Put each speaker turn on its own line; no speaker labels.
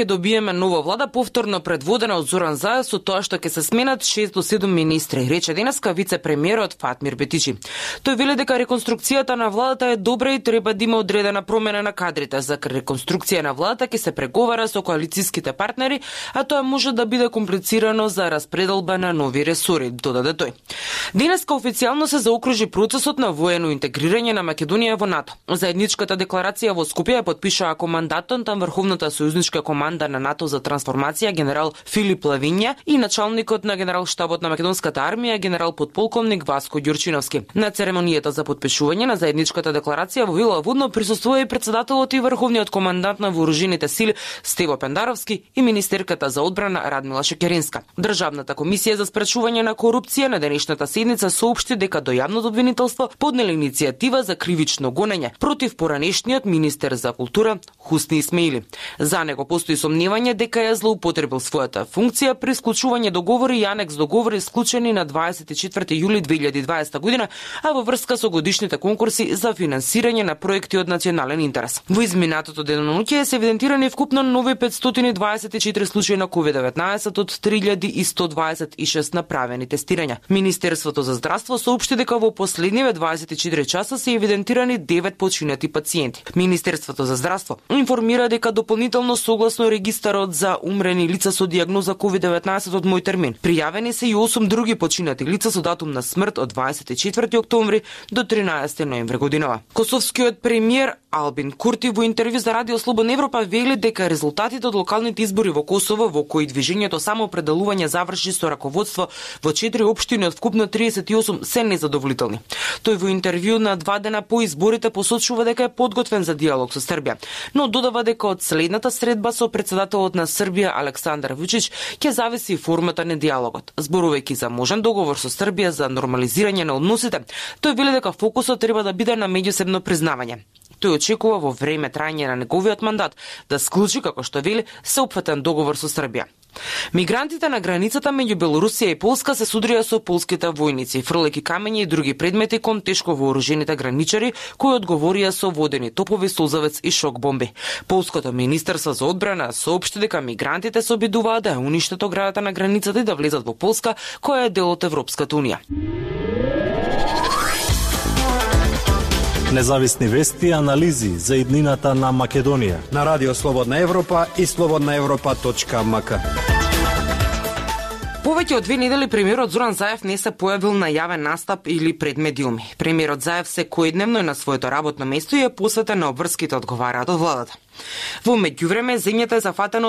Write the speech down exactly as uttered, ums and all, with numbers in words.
Ќе добиеме нова влада повторно предводена од Зоран Заев со тоа што ќе се сменат шест до седум министри, рече денеска вице-премиерот Фатмир Бетичи. Тој вели дека реконструкцијата на владата е добра и треба да има одредена промена на кадрите. За реконструкција на владата ќе се преговара со коалицијските партнери, а тоа може да биде комплицирано за распределба на нови ресори, додаде тој. Денеска официјално се заокружи процесот на воено интегрирање на Македонија во НАТО. Заедничката декларација во Скопје ја подпишаа командантот на Врховната сојузничка команда на НАТО за трансформација генерал Филип Лавинја и началникот на генерал-штабот на македонската армија генерал подполковник Васко Ѓурчиновски. На церемонијата за подпишување на заедничката декларација во Вила Водно присуствува и председателот и врховниот командант на вооружените сили Стево Пендаровски и министерката за одбрана Радмила Шекеринска. Државната комисија за спречување на корупција на денешната седница соопшти дека до јавното обвинителство поднеле иницијатива за кривично гонење против поранешниот министер за култура Хусни Исмеили. За него постои сомневање дека ја злоупотребил својата функција при склучување договори и анекс договори склучени на дваесет и четврти јули две илјади и дваесета година, а во врска со годишните конкурси за финансирање на проекти од национален интерес. Во изминатото денонуќе се евидентирани вкупно нови петстотини и дваесет и четири случаи на ковид деветнаесет од три илјади и сто дваесет и шест направени тестирања. Министерството за здравство соопшти дека во последниве дваесет и четири часа се евидентирани девет починати пациенти. Министерството за здравство информира дека дополнително согласно регистарот за умрени лица со дијагноза ковид деветнаесет од мој термин, пријавени се и осум други починати лица со датум на смрт од дваесет и четврти октомври до тринаесети ноември годинава. Косовскиот премиер Албин Курти во интервју за Радио Слободна Европа вели дека резултатите од локалните избори во Косово, во кои движењето самоопределување заврши со раководство во четири општини од вкупно триесет и осум, се незадоволителни. Тој во интервју на два дена по изборите посочува дека е подготвен за диалог со Србија, но додава дека од следната средба со председателот на Србија Александар Вучич ќе зависи формата на диалогот. Зборувајќи за можен договор со Србија за нормализирање на односите, тој вели дека фокусот треба да биде на меѓусебно признавање. Тој очекува во време трајање на неговиот мандат да склучи, како што вели, сеопфатен договор со Србија. Мигрантите на границата меѓу Белорусија и Полска се судрија со полските војници, фрлејќи камења и други предмети кон тешко вооружените граничари, кои одговорија со водени топови, созавец и шок бомби. Полското министерство за одбрана соопшти дека мигрантите се обидуваат да уништат оградата на границата и да влезат во Полска, која е дел од Европската унија.
Независни вести и анализи за иднината на Македонија
на Радио Слободна Европа и слободна европа точка м к.
Повеќе од две недели премиерот Зоран Заев не се појавил на јавен настап или пред медиуми. Премиерот Заев секојдневно е на своето работно место и е посветен на обврските одговараат од владата. Во меѓувреме, земјата е зафатена од